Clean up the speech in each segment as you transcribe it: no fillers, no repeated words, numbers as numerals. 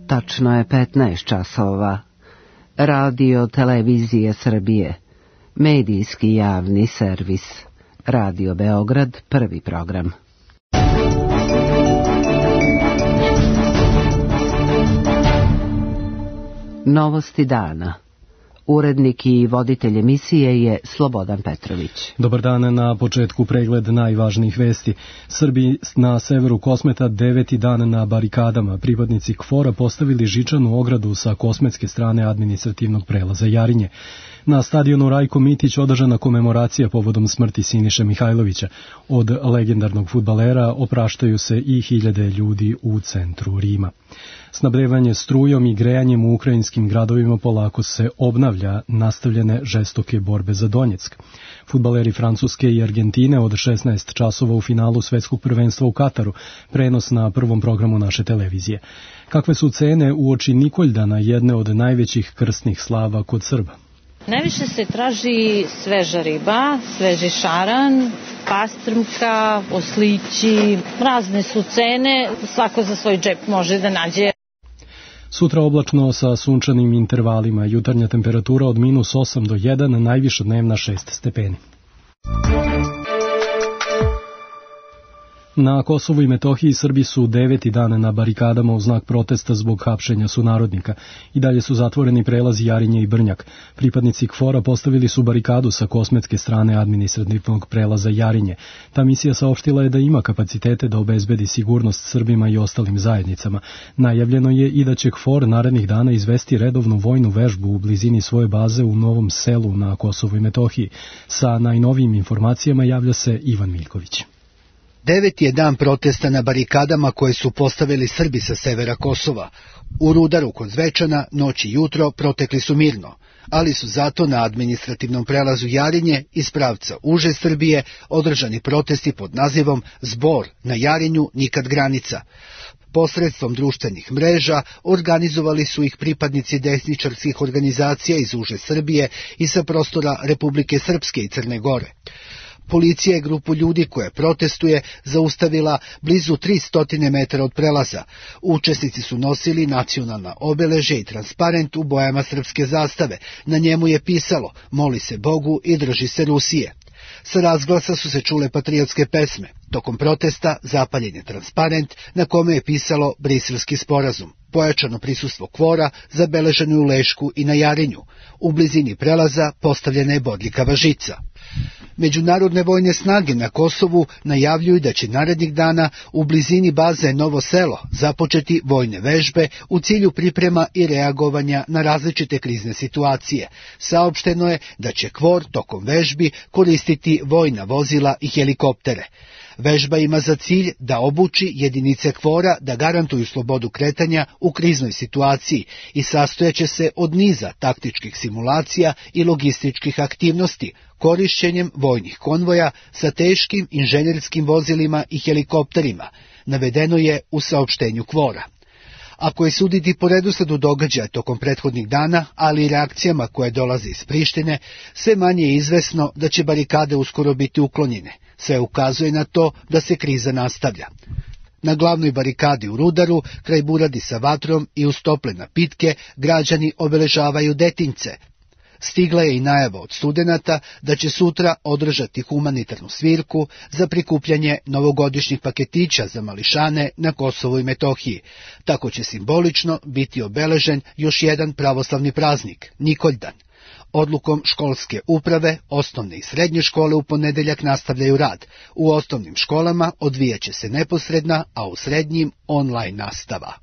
Tačno je 15 časova. Radio Televizije Srbije. Medijski javni servis. Radio Beograd, prvi program. Novosti dana. Urednik i voditelj emisije je Slobodan Petrović. Dobar dan, na početku pregled najvažnijih vesti. Srbi na severu Kosmeta 9. dan na barikadama. Pripadnici KFOR-a postavili žičanu ogradu sa kosmetske strane administrativnog prelaza Jarinje. Na stadionu Rajko Mitić održana komemoracija povodom smrti Siniše Mihajlovića. Od legendarnog fudbalera opraštaju se i hiljade ljudi u centru Rima. Snabdevanje strujom i grejanjem u ukrajinskim gradovima polako se obnavlja nastavljene žestoke borbe za Donjeck. Fudbaleri Francuske i Argentine od 16 časova u finalu svetskog prvenstva u Kataru, prenos na prvom programu naše televizije. Kakve su cene uoči Nikoldana, jedne od najvećih krsnih slava kod Srba? Najviše se traži sveža riba, sveži šaran, pastrmka, oslići, razne su cene, svako za svoj džep može da nađe. Sutra oblačno sa sunčanim intervalima, jutarnja temperatura od -8 do 1, najviša dnevna 6 stepeni. Na Kosovu i Metohiji Srbi su 9. dan na barikadama u znak protesta zbog hapšenja sunarodnika. I dalje su zatvoreni prelazi Jarinje i Brnjak. Pripadnici KFOR-a postavili su barikadu sa kosmetske strane administrativnog prelaza Jarinje. Ta misija saopštila je da ima kapacitete da obezbedi sigurnost Srbima i ostalim zajednicama. Najavljeno je i da će KFOR narednih dana izvesti redovnu vojnu vežbu u blizini svoje baze u Novom Selu na Kosovu i Metohiji. Sa najnovijim informacijama javlja se Ivan Miljković. 9. je dan protesta na barikadama koje su postavili Srbi sa severa Kosova. U Rudaru kod Zvečana noć i jutro protekli su mirno, ali su zato na administrativnom prelazu Jarinje iz pravca uže Srbije održani protesti pod nazivom Zbor na Jarinju nikad granica. Posredstvom društvenih mreža organizovali su ih pripadnici desničarskih organizacija iz uže Srbije i sa prostora Republike Srpske i Crne Gore. Policija je grupu ljudi koja protestuje zaustavila blizu 300 metara od prelaza. Učesnici su nosili nacionalna obeležja i transparent u bojama srpske zastave. Na njemu je pisalo "Moli se Bogu i drži se Rusije". Sa razglasa su se čule patriotske pesme. Tokom protesta zapaljen je transparent na kome je pisalo Briselski sporazum. Pojačano prisustvo KFOR-a zabeleženo je u Lešku i na Jarinju. U blizini prelaza postavljena je bodljikava žica. Međunarodne vojne snage na Kosovu najavljuju da će narednih dana u blizini baze Novo Selo započeti vojne vežbe u cilju priprema i reagovanja na različite krizne situacije. Saopšteno je da će KFOR tokom vežbi koristiti vojna vozila i helikoptere. Vežba ima za cilj da obuči jedinice KFOR-a da garantuju slobodu kretanja u kriznoj situaciji i sastojaće se od niza taktičkih simulacija i logističkih aktivnosti, korišćenjem vojnih konvoja sa teškim inženjerskim vozilima i helikopterima, navedeno je u saopštenju KFOR-a. Ako je suditi po redosledu događaja tokom prethodnih dana, ali i reakcijama koje dolaze iz Prištine, sve manje je izvesno da će barikade uskoro biti uklonjene. Sve ukazuje na to da se kriza nastavlja. Na glavnoj barikadi u Rudaru, kraj buradi sa vatrom i uz tople napitke, građani obeležavaju detinjce. Stigla je i najava od studenata da će sutra održati humanitarnu svirku za prikupljanje novogodišnjih paketića za mališane na Kosovu i Metohiji. Tako će simbolično biti obeležen još jedan pravoslavni praznik, Nikoljdan. Odlukom školske uprave, osnovne i srednje škole u ponedeljak nastavljaju rad. U osnovnim školama odvijaće se neposredna, a u srednjim online nastava.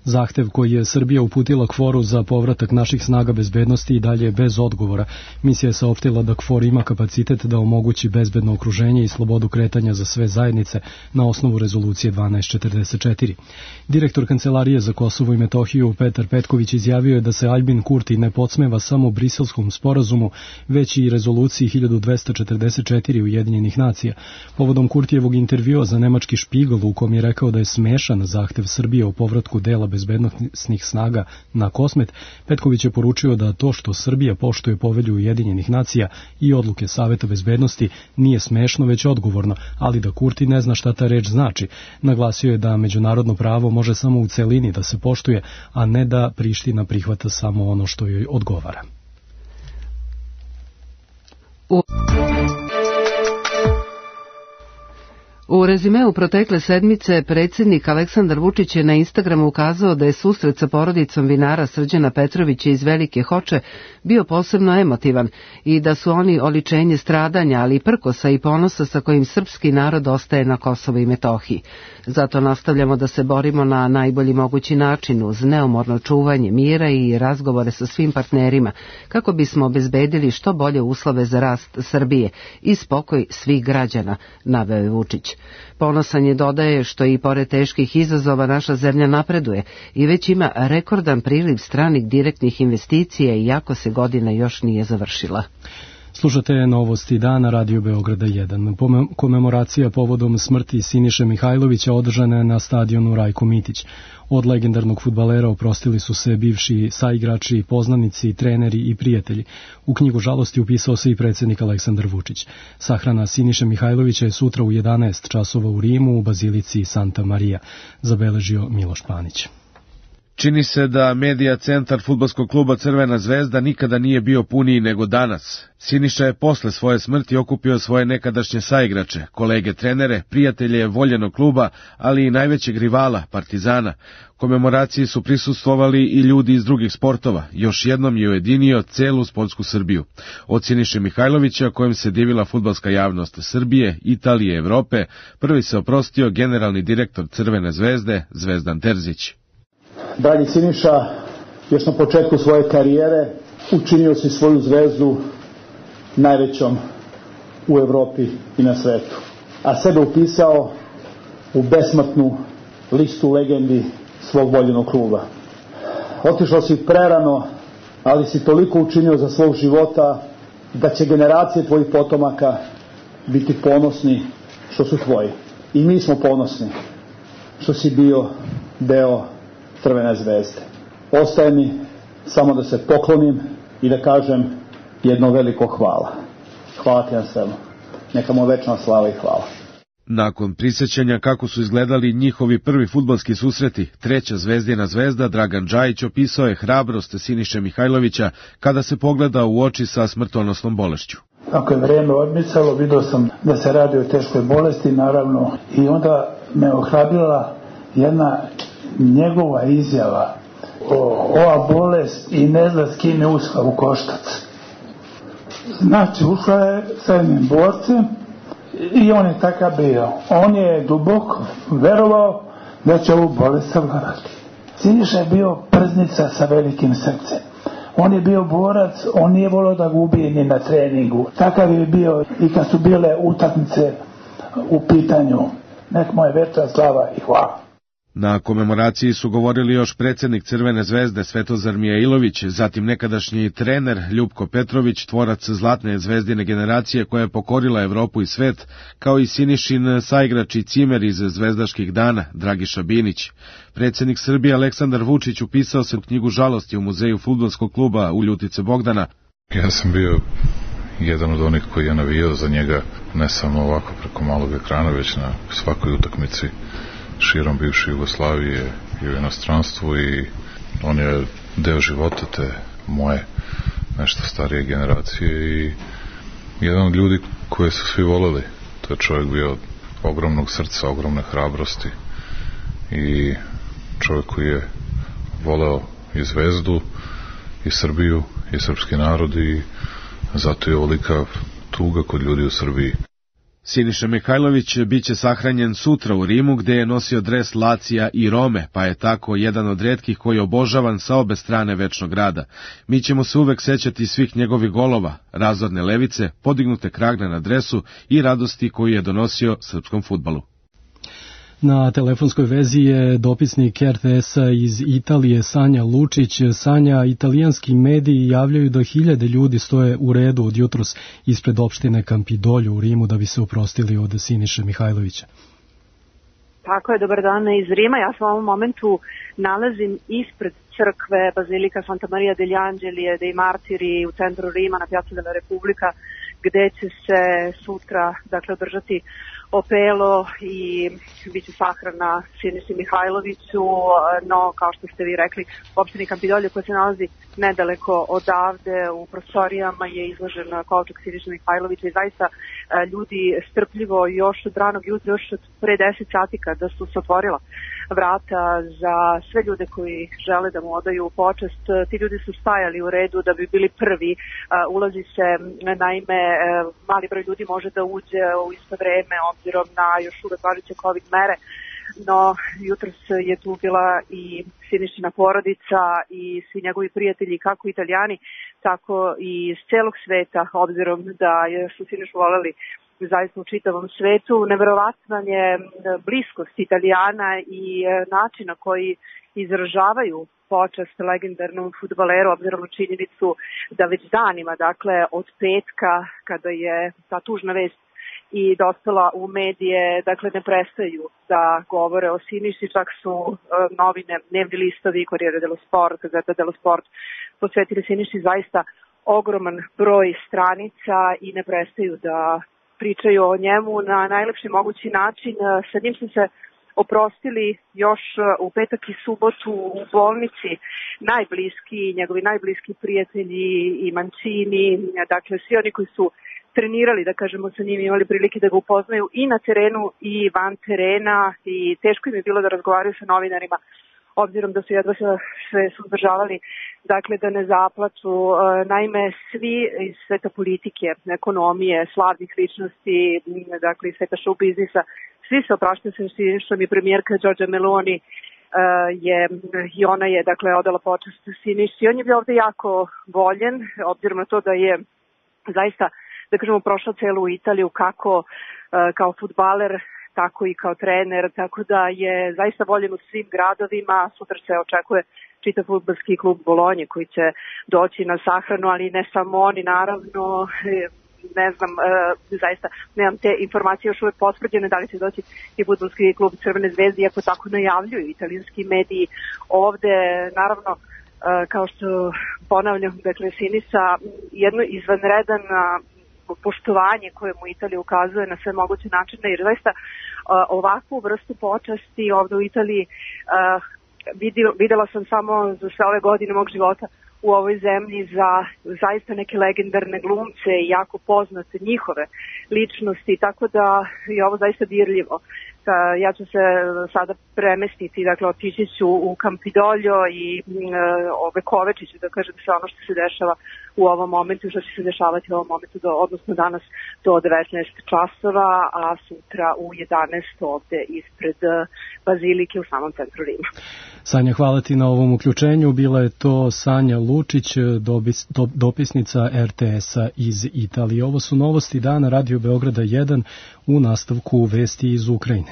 Zahtev koji je Srbija uputila KFOR-u za povratak naših snaga bezbednosti i dalje bez odgovora. Misija je saopštila da KFOR ima kapacitet da omogući bezbedno okruženje i slobodu kretanja za sve zajednice na osnovu rezolucije 1244. Direktor Kancelarije za Kosovo i Metohiju Petar Petković izjavio je da se Aljbin Kurti ne podsmeva samo Briselskom sporazumu, već i rezoluciji 1244 Ujedinjenih nacija. Povodom Kurtijevog intervjua za nemački Špigl, u kom je rekao da je smešan zahtev Srbije o povratku dela bezbednosnih snaga na Kosmet, Petković je poručio da to što Srbija poštuje povelju Ujedinjenih nacija i odluke Saveta bezbednosti nije smešno, već odgovorno, ali da Kurti ne zna šta ta reč znači. Naglasio je da međunarodno pravo može samo u celini da se poštuje, a ne da Priština prihvata samo ono što joj odgovara. U rezimeu protekle sedmice predsjednik Aleksandar Vučić je na Instagramu ukazao da je susret sa porodicom vinara Srđana Petrovića iz Velike Hoče bio posebno emotivan i da su oni oličenje stradanja, ali i prkosa i ponosa sa kojim srpski narod ostaje na Kosovu i Metohiji. Zato nastavljamo da se borimo na najbolji mogući način uz neumorno čuvanje mira i razgovore sa svim partnerima kako bismo obezbedili što bolje uslove za rast Srbije i spokoj svih građana, naveo je Vučić. Ponosan je, dodaje, što i pored teških izazova naša zemlja napreduje i već ima rekordan priliv stranih direktnih investicija iako se godina još nije završila. Slušate Novosti dana, Radio Beograda 1. Komemoracija povodom smrti Siniše Mihajlovića održana je na stadionu Rajko Mitić. Od legendarnog fudbalera oprostili su se bivši saigrači, poznanici, treneri i prijatelji. U knjigu žalosti upisao se i predsjednik Aleksandar Vučić. Sahrana Siniše Mihajlovića je sutra u 11 časova u Rimu u bazilici Santa Maria, zabeležio Miloš Panić. Čini se da medija centar fudbalskog kluba Crvena zvezda nikada nije bio puniji nego danas. Siniša je posle svoje smrti okupio svoje nekadašnje saigrače, kolege trenere, prijatelje voljenog kluba, ali i najvećeg rivala, Partizana. Komemoraciji su prisustvovali i ljudi iz drugih sportova. Još jednom je ujedinio celu sportsku Srbiju. Od Siniše Mihajlovića, kojem se divila fudbalska javnost Srbije, Italije i Evrope, prvi se oprostio generalni direktor Crvene zvezde, Zvezdan Terzić. Dragi Siniša, još na početku svoje karijere učinio si svoju zvezdu najvećom u Evropi i na svetu, a sebe upisao u besmrtnu listu legendi svog voljenog kluba. Otišao si prerano, ali si toliko učinio za svog života da će generacije tvojih potomaka biti ponosni što su tvoji. I mi smo ponosni što si bio deo Crvene zvezde. Ostaje mi samo da se poklonim i da kažem jedno veliko hvala. Hvala ti na svemu. Neka mu večna slava i hvala. Nakon prisjećanja kako su izgledali njihovi prvi fudbalski susreti, treća zvezdina zvezda Dragan Džajić opisao je hrabrost Siniše Mihajlovića kada se pogleda u oči sa smrtonosnom bolešću. Kako je vreme odmicalo, vidio sam da se radi o teškoj bolesti, naravno, i onda me ohrabrila jedna njegova izjava: ova bolest i ne zna s kim je ušla u koštac. Znači, ušla je sa jednim borcem i on je takav bio. On je duboko verovao da će ovu bolest savladati. Siniša je bio prznica sa velikim srcem. On je bio borac, on nije volio da gubi ni na treningu. Takav je bio i kad su bile utakmice u pitanju. Nek mu je večna slava i hvala. Na komemoraciji su govorili još predsjednik Crvene zvezde Svetozar Mijailović, zatim nekadašnji trener Ljupko Petrović, tvorac zlatne zvezdine generacije koja je pokorila Evropu i svet, kao i Sinišin saigrač i cimer iz zvezdaških dana, Dragiša Binić. Predsjednik Srbije Aleksandar Vučić upisao se u knjigu žalosti u muzeju fudbalskog kluba u Ljutice Bogdana. Ja sam bio jedan od onih koji je navijao za njega, ne samo ovako preko malog ekrana, već na svakoj utakmici širom bivše Jugoslavije i u inostranstvu, i on je deo života te moje nešto starije generacije i jedan od ljudi koje su svi voleli. To je čovjek bio ogromnog srca, ogromne hrabrosti i čovjek koji je voleo i zvezdu i Srbiju i srpski narod, i zato je ovolika tuga kod ljudi u Srbiji. Siniša Mihajlović biće sahranjen sutra u Rimu, gde je nosio dres Lacija i Rome, pa je tako jedan od retkih koji je obožavan sa obe strane večnog grada. Mi ćemo se uvek sećati svih njegovih golova, razorne levice, podignute kragne na dresu i radosti koju je donosio srpskom fudbalu. Na telefonskoj vezi je dopisnik RTS-a iz Italije Sanja Lučić. Sanja, italijanski mediji javljaju da 1000 ljudi stoje u redu od jutros ispred opštine Campidolju u Rimu da bi se oprostili od Siniše Mihajlovića. Tako je, dobar dan iz Rima. Ja se u ovom momentu nalazim ispred crkve Bazilika Santa Maria degli Angeli dei Martiri u centru Rima na Piazza della Repubblica, gde će se sutra održati opelo i bit će sahrana Siniši Mihajloviću, no kao što ste vi rekli, u opštini Kampidolje koja se nalazi nedaleko odavde u prostorijama je izložen kovčeg Siniša Mihajlovića i zaista ljudi strpljivo još od ranog jutra, još od pre 10 sati kada su se otvorila vrata za sve ljude koji žele da mu odaju počast. Ti ljudi su stajali u redu da bi bili prvi. Ulazi se, naime, mali broj ljudi može da uđe u isto vreme obzirom na još uvek važeće COVID mere, no jutros je tu bila i Sinišina porodica i svi njegovi prijatelji, kako Italijani, tako i iz celog sveta, obzirom da su Sinišu voleli zaista u čitavom svetu. Neverovatna je bliskost Italijana i načina koji izražavaju počast legendarnom fudbaleru, obzirom na činjenicu da već danima, dakle od petka, kada je ta tužna vest i dospela u medije, dakle ne prestaju da govore o Siniši, čak su novine, dnevni listovi, Corriere dello Sport, Gazzetta dello Sport, posvetili Siniši zaista ogroman broj stranica i ne prestaju da pričaju o njemu na najlepši mogući način. Sa njim su se oprostili još u petak i subotu u bolnici njegovi najbliski prijatelji i Mancini, dakle svi oni koji su trenirali, da kažemo, sa njim, imali prilike da ga upoznaju i na terenu i van terena i teško im je bilo da razgovaraju sa novinarima, obzirom da su jedva se suzdržavali, dakle da ne zaplaču. Naime, svi iz sveta politike, ekonomije, slavnih ličnosti, dakle iz sveta show biznisa, svi se opraštaju sa Sinišom i premijerka Giorgia Meloni i ona je dakle odala počast Siniši. On je bio ovde jako voljen, obzirom na to da je zaista, da kažemo, prošao celu Italiju kako kao fudbaler, tako i kao trener, tako da je zaista voljen u svim gradovima. Sutra se očekuje čitav fudbalski klub Bolonje koji će doći na sahranu, ali ne samo oni, naravno, ne znam, zaista nemam te informacije još uvek potvrđene da li će doći i fudbalski klub Crvene zvezde, iako tako najavljuju italijanski mediji ovde. Naravno, kao što ponavljam, dakle Sinisa jedno izvanredan poštovanje koje mu Italija ukazuje na sve moguće načine, jer zaista ovakvu vrstu počasti ovde u Italiji videla sam samo za sve ove godine mog života u ovoj zemlji za zaista neke legendarne glumce i jako poznate njihove ličnosti, tako da je ovo zaista dirljivo. Ja ću se sada premestiti, dakle otići ću u Campidoglio i ovekovečit ću, da kažem, sve ono što se dešava u ovom momentu i što će se dešavati u ovom momentu, odnosno danas do 19 časova, a sutra u 11 ovde ispred Bazilike u samom centru Rima. Sanja, hvala ti na ovom uključenju. Bila je to Sanja Lučić, dopisnica RTS-a iz Italije. Ovo su novosti dana Radio Beograda 1, u nastavku vesti iz Ukrajine.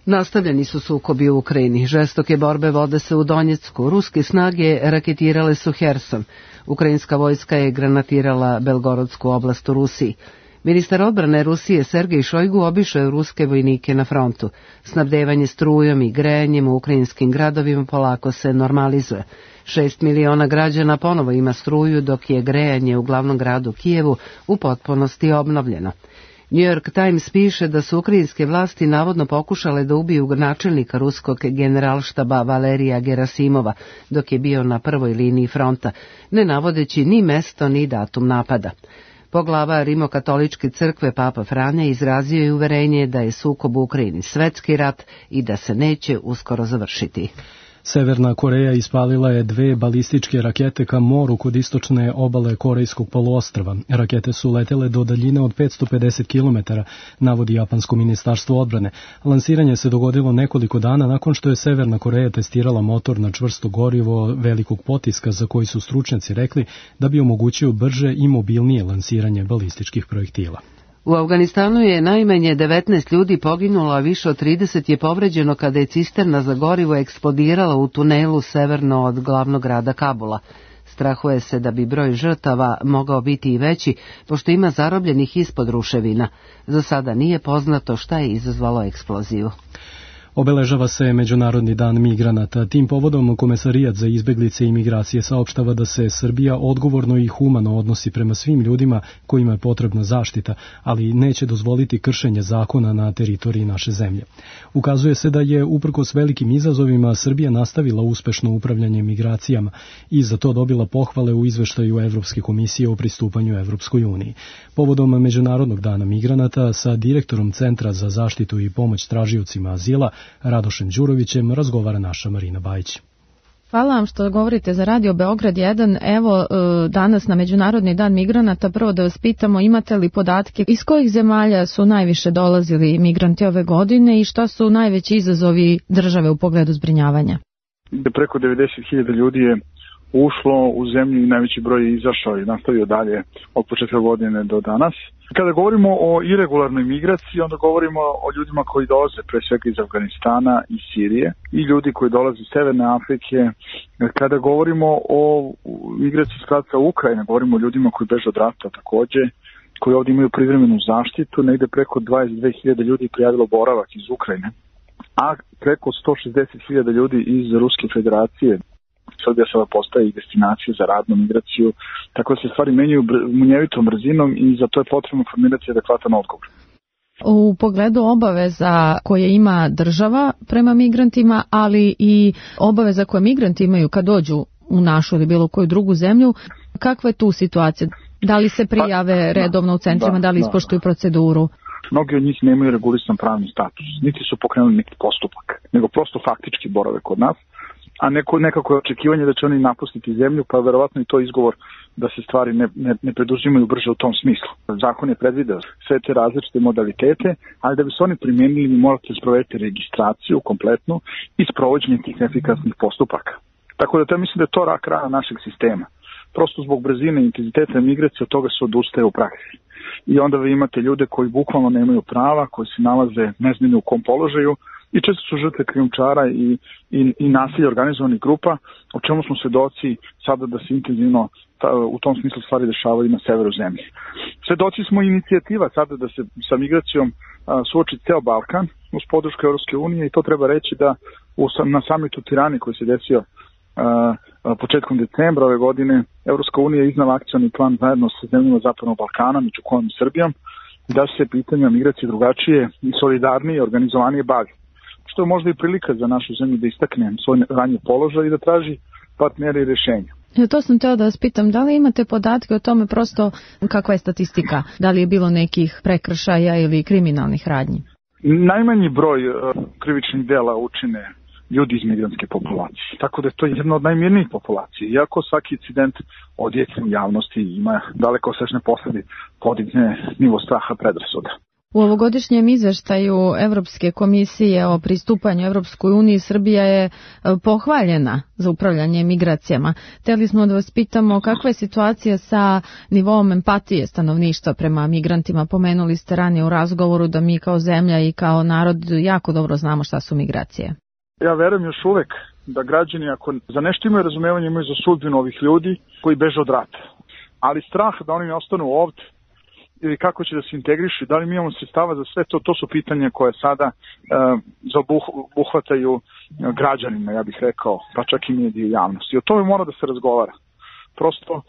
Nastavljeni su sukobi u Ukrajini. Žestoke borbe vode se u Donjecku. Ruske snage raketirale su Herson. Ukrajinska vojska je granatirala Belgorodsku oblast u Rusiji. Ministar odbrane Rusije Sergej Šojgu obišao je ruske vojnike na frontu. Snabdevanje strujom i grejanjem u ukrajinskim gradovima polako se normalizuje. 6 miliona građana ponovo ima struju, dok je grejanje u glavnom gradu Kijevu u potpunosti obnovljeno. New York Times piše da su ukrajinske vlasti navodno pokušale da ubiju načelnika ruskog generalštaba Valerija Gerasimova, dok je bio na prvoj liniji fronta, ne navodeći ni mesto ni datum napada. Poglava Rimokatoličke crkve Papa Franja izrazio je uverenje da je sukob u Ukrajini svetski rat i da se neće uskoro završiti. Severna Koreja ispalila je 2 balističke rakete ka moru kod istočne obale Korejskog poluostrva. Rakete su letele do daljine od 550 km, navodi japansko ministarstvo odbrane. Lansiranje se dogodilo nekoliko dana nakon što je Severna Koreja testirala motor na čvrsto gorivo velikog potiska, za koji su stručnjaci rekli da bi omogućio brže i mobilnije lansiranje balističkih projektila. U Afganistanu je najmanje 19 ljudi poginulo, a više od 30 je povređeno kada je cisterna za gorivo eksplodirala u tunelu severno od glavnog grada Kabula. Strahuje se da bi broj žrtava mogao biti i veći, pošto ima zarobljenih ispod ruševina. Za sada nije poznato šta je izazvalo eksploziju. Obeležava se Međunarodni dan migranata. Tim povodom Komesarijat za izbeglice i migracije saopštava da se Srbija odgovorno i humano odnosi prema svim ljudima kojima je potrebna zaštita, ali neće dozvoliti kršenje zakona na teritoriji naše zemlje. Ukazuje se da je uprkos velikim izazovima Srbija nastavila uspešno upravljanje migracijama i za to dobila pohvale u izveštaju Evropske komisije o pristupanju Evropskoj uniji. Povodom Međunarodnog dana migranata sa direktorom Centra za zaštitu i pomoć tražiocima azila Radošem Đurovićem razgovara naša Marina Bajić. Hvala vam što govorite za Radio Beograd 1. Evo, danas na Međunarodni dan migranata, prvo da vas pitamo, imate li podatke iz kojih zemalja su najviše dolazili migranti ove godine i šta su najveći izazovi države u pogledu zbrinjavanja? Preko 90.000 ljudi je ušlo u zemlju i najveći broj je izašao i nastavio dalje od početka godine do danas. Kada govorimo o iregularnoj migraciji, onda govorimo o ljudima koji dolaze pre svega iz Afganistana i Sirije i ljudi koji dolaze iz Severne Afrike. Kada govorimo o migraciji skratka Ukrajine, govorimo o ljudima koji beže od rata takođe, koji ovdje imaju privremenu zaštitu. Negde preko 22.000 ljudi prijavilo boravak iz Ukrajine, a preko 160.000 ljudi iz Ruske federacije. Srbija sada postaje i destinacija za radnu migraciju, tako da se stvari menjaju munjevitom brzinom i za to je potrebno formirati adekvatan odgovor. U pogledu obaveza koje ima država prema migrantima, ali i obaveza koje migranti imaju kad dođu u našu ili bilo koju drugu zemlju, kakva je tu situacija? Da li se prijave redovno u centrima, da li ispoštuju proceduru? Mnogi od njih nemaju regulisan pravni status, niti su pokrenuli neki postupak, nego prosto faktički borave kod nas, a nekako je očekivanje da će oni napustiti zemlju, pa verovatno i to izgovor da se stvari ne preduzimaju brže u tom smislu. Zakon je predvideo sve te različite modalitete, ali da bi se oni primijenili vi morate sprovediti registraciju kompletnu i sprovođenje tih efikasnih postupaka. Tako da ja mislim da je to rak rana našeg sistema. Prosto zbog brzine i intenziteta migracije od toga se odustaje u praksi. I onda vi imate ljude koji bukvalno nemaju prava, koji se nalaze ne znaju u kom položaju i često su žrtve krijumčara i nasilja organizovanih grupa, o čemu smo svedoci sada da se intenzivno u tom smislu stvari dešavaju na severu zemlje. Svedoci smo inicijativa sada da se sa migracijom suoči ceo Balkan uz podršku Evropske unije i to treba reći da na samitu u Tirani koji se desio početkom decembra ove godine Evropska unija je iznala akcioni plan zajedno sa zemljama Zapadnog Balkana, među kojom i Srbijom, da se pitanja migracije drugačije i solidarnije i organizovanije bavi. Što je možda i prilika za našu zemlju da istakne svoj ranji položaj i da traži partnere i rješenja. To sam teo da vas pitam, da li imate podatke o tome prosto kakva je statistika, da li je bilo nekih prekršaja ili kriminalnih radnji? Najmanji broj krivičnih dela učine ljudi iz migrantske populacije. Tako da je to jedna od najmirnijih populacija. Iako svaki incident odjeci u javnosti ima daleko sežne posledice, podigne nivo straha predrasuda. U ovogodišnjem izveštaju Evropske komisije o pristupanju Evropskoj uniji Srbija je pohvaljena za upravljanje migracijama. Hteli smo da vas pitamo kakva je situacija sa nivoom empatije stanovništva prema migrantima. Pomenuli ste ranije u razgovoru da mi kao zemlja i kao narod jako dobro znamo šta su migracije. Ja verujem još uvek da građani ako za nešto imaju razumevanje imaju za sudbinu ovih ljudi koji beže od rata. Ali strah da oni ne ostanu ovdje ili kako će da se integrišu, da li mi imamo sredstava za sve to, to su pitanja koje sada obuhvataju građanima, ja bih rekao, pa čak i medije i javnosti. I o tome mora da se razgovara. Prosto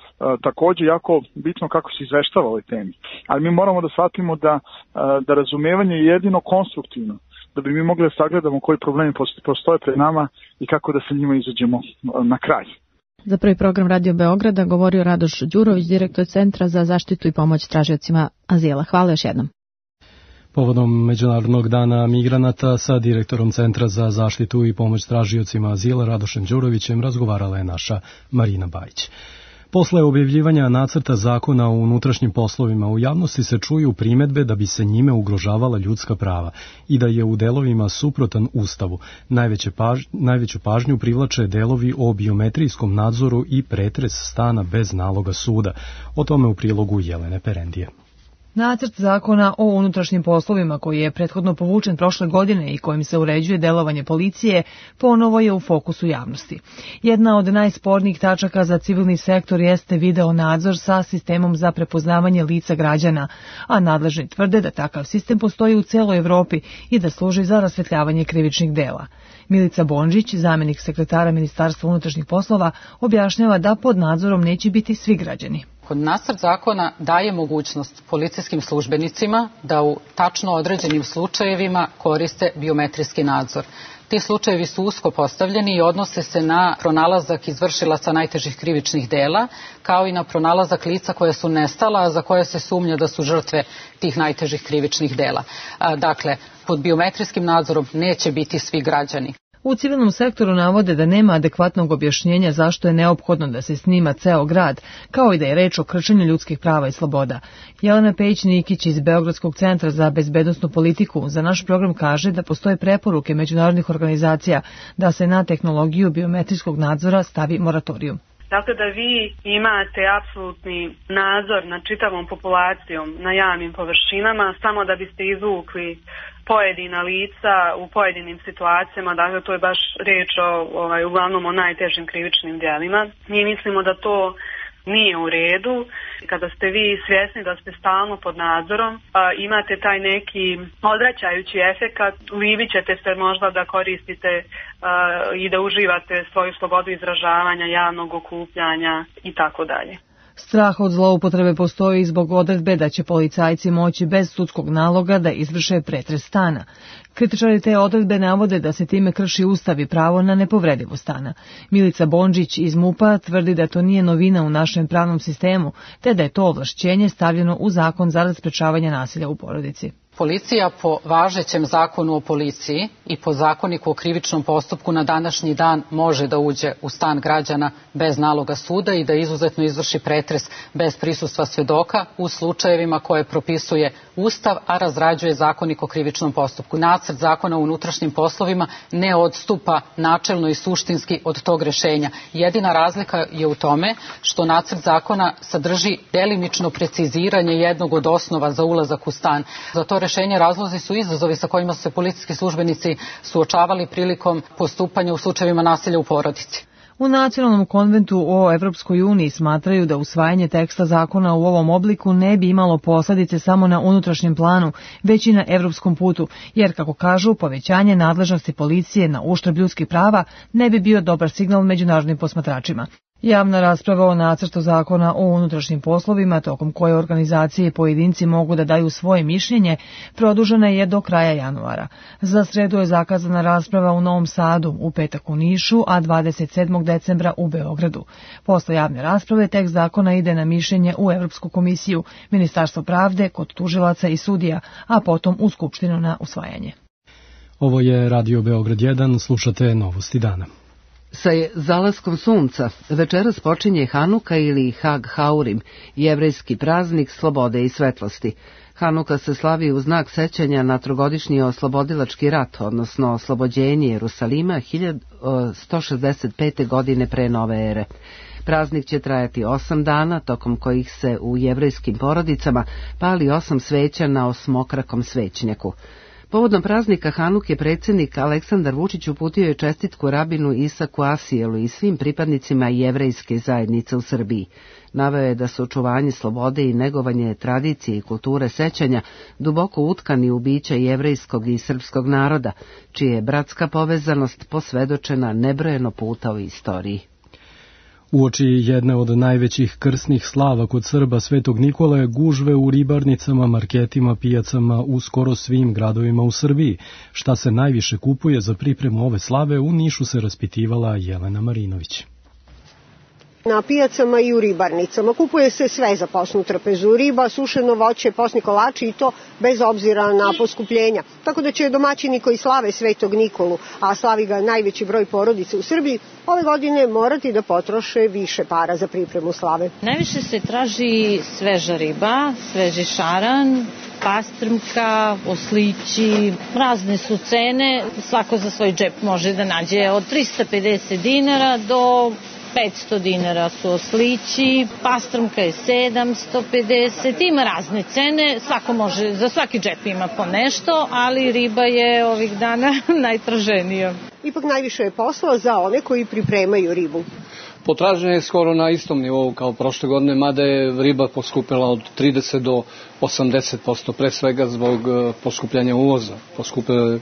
također jako bitno kako se izveštava o ovoj temi. Ali mi moramo da shvatimo da razumevanje je jedino konstruktivno, da bi mi mogli da sagledamo koji problemi postoje pred nama i kako da se njima izađemo na kraj. Za prvi program Radio Beograda govorio Radoš Đurović, direktor Centra za zaštitu i pomoć tražiocima azila. Hvala još jednom. Povodom Međunarodnog dana migranata sa direktorom Centra za zaštitu i pomoć tražiocima azila Radošem Đurovićem razgovarala je naša Marina Bajić. Posle objavljivanja nacrta zakona o unutrašnjim poslovima u javnosti se čuju primedbe da bi se njime ugrožavala ljudska prava i da je u delovima suprotan Ustavu. Najveću pažnju privlače delovi o biometrijskom nadzoru i pretres stana bez naloga suda. O tome u prilogu Jelene Perendije. Nacrt zakona o unutrašnjim poslovima koji je prethodno povučen prošle godine i kojim se uređuje delovanje policije ponovo je u fokusu javnosti. Jedna od najspornijih tačaka za civilni sektor jeste video nadzor sa sistemom za prepoznavanje lica građana, a nadležni tvrde da takav sistem postoji u celoj Evropi i da služi za rasvetljavanje krivičnih dela. Milica Bondžić, zamenik sekretara Ministarstva unutrašnjih poslova, objašnjava da pod nadzorom neće biti svi građani. Nacrt zakona daje mogućnost policijskim službenicima da u tačno određenim slučajevima koriste biometrijski nadzor. Ti slučajevi su usko postavljeni i odnose se na pronalazak izvršilaca najtežih krivičnih dela, kao i na pronalazak lica koja su nestala, a za koje se sumnja da su žrtve tih najtežih krivičnih dela. Dakle, pod biometrijskim nadzorom neće biti svi građani. U civilnom sektoru navode da nema adekvatnog objašnjenja zašto je neophodno da se snima ceo grad, kao i da je reč o kršenju ljudskih prava i sloboda. Jelena Pejić-Nikić iz Beogradskog centra za bezbednosnu politiku za naš program kaže da postoje preporuke međunarodnih organizacija da se na tehnologiju biometrijskog nadzora stavi moratorijum. Dakle, da vi imate apsolutni nadzor nad čitavom populacijom na javnim površinama samo da biste izvukli pojedina lica u pojedinim situacijama, dakle to je baš reč uglavnom o najtežim krivičnim djelima. Mi mislimo da to nije u redu. Kada ste vi svjesni da ste stalno pod nadzorom, imate taj neki odvraćajući efekat, libit ćete se možda da koristite i da uživate svoju slobodu izražavanja, javnog okupljanja i tako dalje. Strah od zloupotrebe postoji zbog odredbe da će policajci moći bez sudskog naloga da izvrše pretres stana. Kritičari te odredbe navode da se time krši ustav i pravo na nepovredivost stana. Milica Bondžić iz MUP-a tvrdi da to nije novina u našem pravnom sistemu, te da je to ovlašćenje stavljeno u zakon zarad sprečavanja nasilja u porodici. Policija po važećem zakonu o policiji i po zakoniku o krivičnom postupku na današnji dan može da uđe u stan građana bez naloga suda i da izuzetno izvrši pretres bez prisustva svedoka u slučajevima koje propisuje Ustav, a razrađuje zakonik o krivičnom postupku. Nacrt zakona o unutrašnjim poslovima ne odstupa načelno i suštinski od tog rešenja. Jedina razlika je u tome što nacrt zakona sadrži delimično preciziranje jednog od osnova za ulazak u stan. Za to rešenje razlozi su izazovi sa kojima su se policijski službenici suočavali prilikom postupanja u slučajevima nasilja u porodici. U Nacionalnom konventu o Evropskoj uniji smatraju da usvajanje teksta zakona u ovom obliku ne bi imalo posljedice samo na unutrašnjem planu, već i na evropskom putu, jer, kako kažu, povećanje nadležnosti policije na uštrb ljudskih prava ne bi bio dobar signal međunarodnim posmatračima. Javna rasprava o nacrtu zakona o unutrašnjim poslovima, tokom koje organizacije i pojedinci mogu da daju svoje mišljenje, produžena je do kraja januara. Za sredu je zakazana rasprava u Novom Sadu, u petak u Nišu, a 27. decembra u Beogradu. Posle javne rasprave tekst zakona ide na mišljenje u Evropsku komisiju, Ministarstvo pravde, kod tužilaca i sudija, a potom u Skupštinu na usvajanje. Ovo je Radio Beograd 1, slušate Novosti dana. Sa zalaskom sunca večeras počinje Hanuka ili Hag Haurim, jevrejski praznik slobode i svetlosti. Hanuka se slavi u znak sećanja na trogodišnji oslobodilački rat, odnosno oslobođenje Jerusalima 1165. godine pre nove ere. Praznik će trajati 8 dana, tokom kojih se u jevrejskim porodicama pali 8 sveća na osmokrakom svećnjaku. Povodom praznika Hanuke predsjednik Aleksandar Vučić uputio je čestitku rabinu Isaku Asijelu i svim pripadnicima jevrejske zajednice u Srbiji. Naveo je da su očuvanje slobode i negovanje tradicije i kulture sećanja duboko utkani u biće jevrejskog i srpskog naroda, čija je bratska povezanost posvedočena nebrojeno puta u istoriji. Uoči jedne od najvećih krsnih slava kod Srba Svetog Nikole gužve u ribarnicama, marketima, pijacama u skoro svim gradovima u Srbiji. Šta se najviše kupuje za pripremu ove slave, u Nišu se raspitivala Jelena Marinović. Na pijacama i u ribarnicama kupuje se sve za posnu trpezu, riba, sušeno voće, posni kolači i to bez obzira na poskupljenja. Tako da će domaćini koji slave Svetog Nikolu, a slavi ga najveći broj porodica u Srbiji, ove godine morati da potroše više para za pripremu slave. Najviše se traži sveža riba, sveži šaran, pastrmka, oslići, razne su cene, svako za svoj džep može da nađe od 350 dinara do 500 dinara su oslići, pastrmka je 750, ima razne cene, svako može, za svaki džep ima po nešto, ali riba je ovih dana najtraženija. Ipak najviše je posla za one koji pripremaju ribu. Potražnja je skoro na istom nivou kao prošle godine, mada je riba poskupila od 30 do 80%, pre svega zbog poskupljanja uvoza.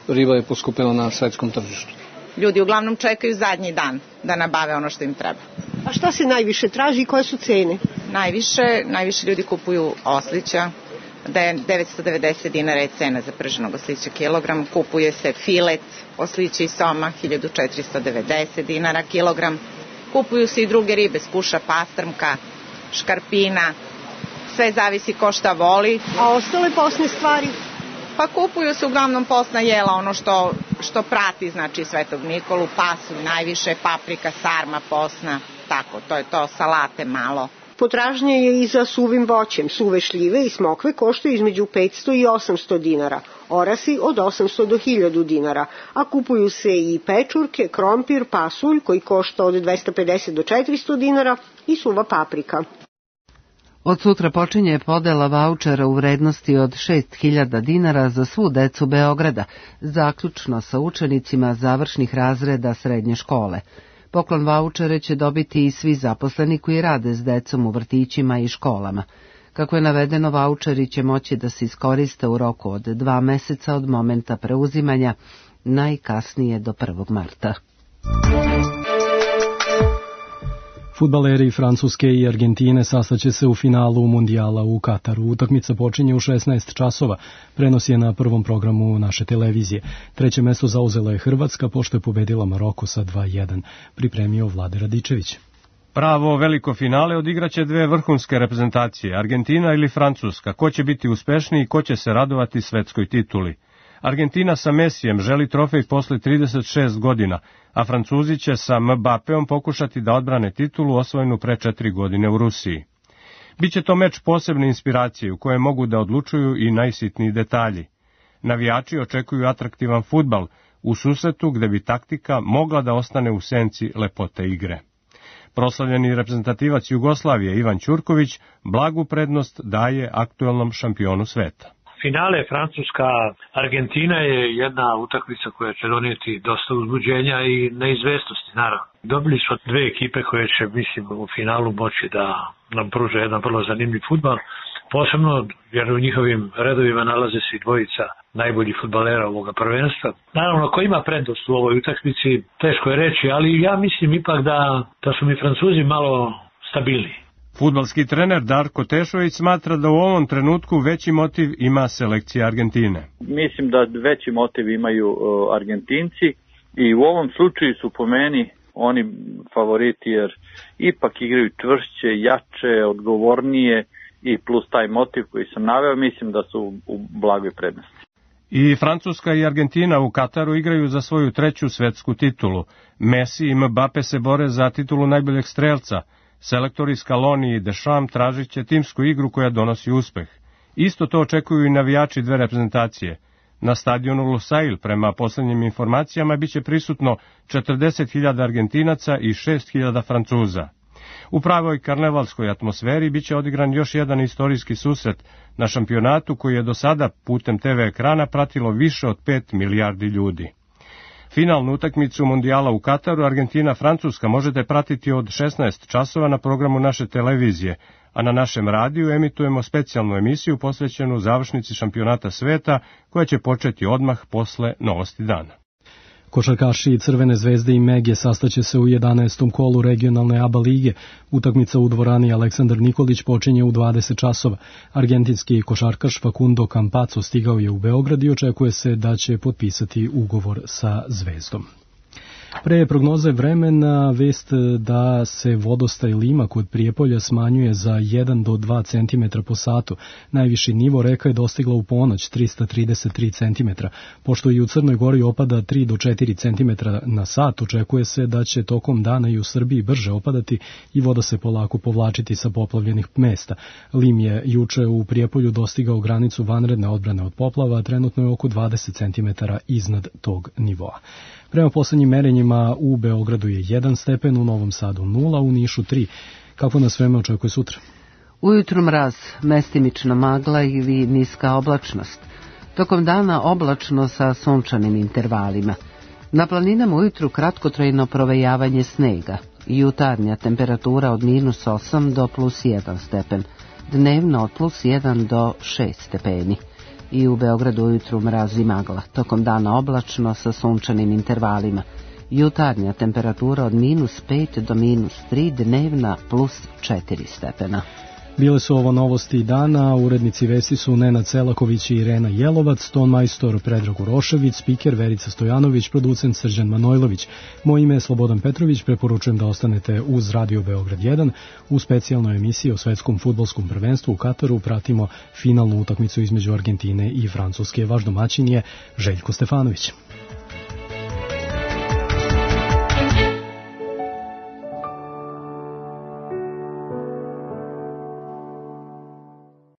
Riba je poskupila na svetskom tržištu. Ljudi uglavnom čekaju zadnji dan da nabave ono što im treba. A šta se najviše traži i koje su cene? Najviše ljudi kupuju oslića, da je 990 dinara je cena za prženog oslića kilogram, kupuje se filet oslića i soma, 1490 dinara kilogram, kupuju se i druge ribe, skuša, pastrmka, škarpina, sve zavisi ko šta voli. A ostale posne stvari? Pa kupuju se uglavnom posna jela, ono što prati, znači Svetog Nikolu, pasulj najviše, paprika, sarma posna, tako, to je to, salate malo. Potražnja je i za suvim voćem. Suve šljive i smokve koštaju između 500 i 800 dinara, orasi od 800 do 1000 dinara, a kupuju se i pečurke, krompir, pasulj koji košta od 250 do 400 dinara i suva paprika. Od sutra počinje podela vaučera u vrednosti od 6.000 dinara za svu decu Beograda, zaključno sa učenicima završnih razreda srednje škole. Poklon vaučere će dobiti i svi zaposleni koji rade s decom u vrtićima i školama. Kako je navedeno, vaučeri će moći da se iskoriste u roku od 2 meseca od momenta preuzimanja, najkasnije do 1. marta. Fudbaleri Francuske i Argentine sastaće se u finalu Mundijala u Kataru. Utakmica počinje u 16 časova. Prenos je na prvom programu naše televizije. 3. mesto zauzela je Hrvatska, pošto je pobedila Maroko sa 2:1. Pripremio Vlade Radičević. Pravo veliko finale odigraće dve vrhunske reprezentacije, Argentina ili Francuska. Ko će biti uspešniji i ko će se radovati svetskoj tituli? Argentina sa Mesijem želi trofej posle 36 godina, a Francuzi će sa Mbapeom pokušati da odbrane titulu osvojenu pre 4 godine u Rusiji. Biće to meč posebne inspiracije u kojem mogu da odlučuju i najsitniji detalji. Navijači očekuju atraktivan fudbal u susretu gde bi taktika mogla da ostane u senci lepote igre. Proslavljeni reprezentativac Jugoslavije Ivan Ćurković blagu prednost daje aktuelnom šampionu sveta. Finale Francuska-Argentina je jedna utakmica koja će donijeti dosta uzbuđenja i neizvestnosti, naravno. Dobili smo dve ekipe koje će, mislim, u finalu moći da nam pruže jedan vrlo zanimljiv fudbal, posebno jer u njihovim redovima nalaze se i dvojica najboljih fudbalera ovoga prvenstva. Naravno, ko ima prednost u ovoj utakmici, teško je reći, ali ja mislim ipak da su mi Francuzi malo stabilniji. Fudbalski trener Darko Tešović smatra da u ovom trenutku veći motiv ima selekcija Argentine. Mislim da veći motiv imaju Argentinci i u ovom slučaju su po meni oni favoriti jer ipak igraju čvršće, jače, odgovornije i plus taj motiv koji sam naveo, mislim da su u blagoj prednosti. I Francuska i Argentina u Kataru igraju za svoju 3. svetsku titulu. Messi i Mbappe se bore za titulu najboljeg strelca. Selektori Scaloni i Deschamps tražit će timsku igru koja donosi uspeh. Isto to očekuju i navijači dve reprezentacije. Na stadionu Lusail, prema poslednjim informacijama, biće prisutno 40.000 Argentinaca i 6.000 Francuza. U pravoj karnevalskoj atmosferi biće odigran još jedan istorijski susret na šampionatu koji je do sada putem TV ekrana pratilo više od 5 milijardi ljudi. Finalnu utakmicu Mundijala u Kataru Argentina-Francuska možete pratiti od 16 časova na programu naše televizije, a na našem radiju emitujemo specijalnu emisiju posvećenu završnici šampionata sveta koja će početi odmah posle Novosti dana. Košarkaši Crvene zvezde i Mege sastaće se u 11. kolu regionalne ABA lige. Utakmica u dvorani Aleksandar Nikolić počinje u 20 časova. Argentinski košarkaš Facundo Campazzo stigao je u Beograd i očekuje se da će potpisati ugovor sa Zvezdom. Pre prognoze vremena vest da se vodostaj Lima kod Prijepolja smanjuje za 1 do 2 cm po satu. Najviši nivo reka je dostigla u ponoć 333 cm. Pošto i u Crnoj Gori opada 3 do 4 cm na sat, očekuje se da će tokom dana i u Srbiji brže opadati i voda se polako povlačiti sa poplavljenih mesta. Lim je juče u Prijepolju dostigao granicu vanredne odbrane od poplava, a trenutno je oko 20 cm iznad tog nivoa. Prema poslednjim merenjima u Beogradu je 1 stepen, u Novom Sadu 0, u Nišu 3. Kako nas vreme očekuje sutra? Ujutru mraz, mestimična magla ili niska oblačnost. Tokom dana oblačno sa sunčanim intervalima. Na planinama ujutru kratkotrajno provejavanje snega. Jutarnja temperatura od -8 do +1 stepen. Dnevno od +1 do 6 stepeni. I u Beogradu ujutru mraz i magla. Tokom dana oblačno sa sunčanim intervalima. Jutarnja temperatura od -5 do -3, dnevna +4 stepena. Bile su ovo novosti dana, urednici vesti su Nenad Selaković i Irena Jelovac, tonmajstor Predrag Urošević, spiker Verica Stojanović, producent Srđan Manojlović. Moje ime je Slobodan Petrović, preporučujem da ostanete uz Radio Beograd 1. U specijalnoj emisiji o svetskom fudbalskom prvenstvu u Kataru pratimo finalnu utakmicu između Argentine i Francuske. Vaš domaćin je Željko Stefanović.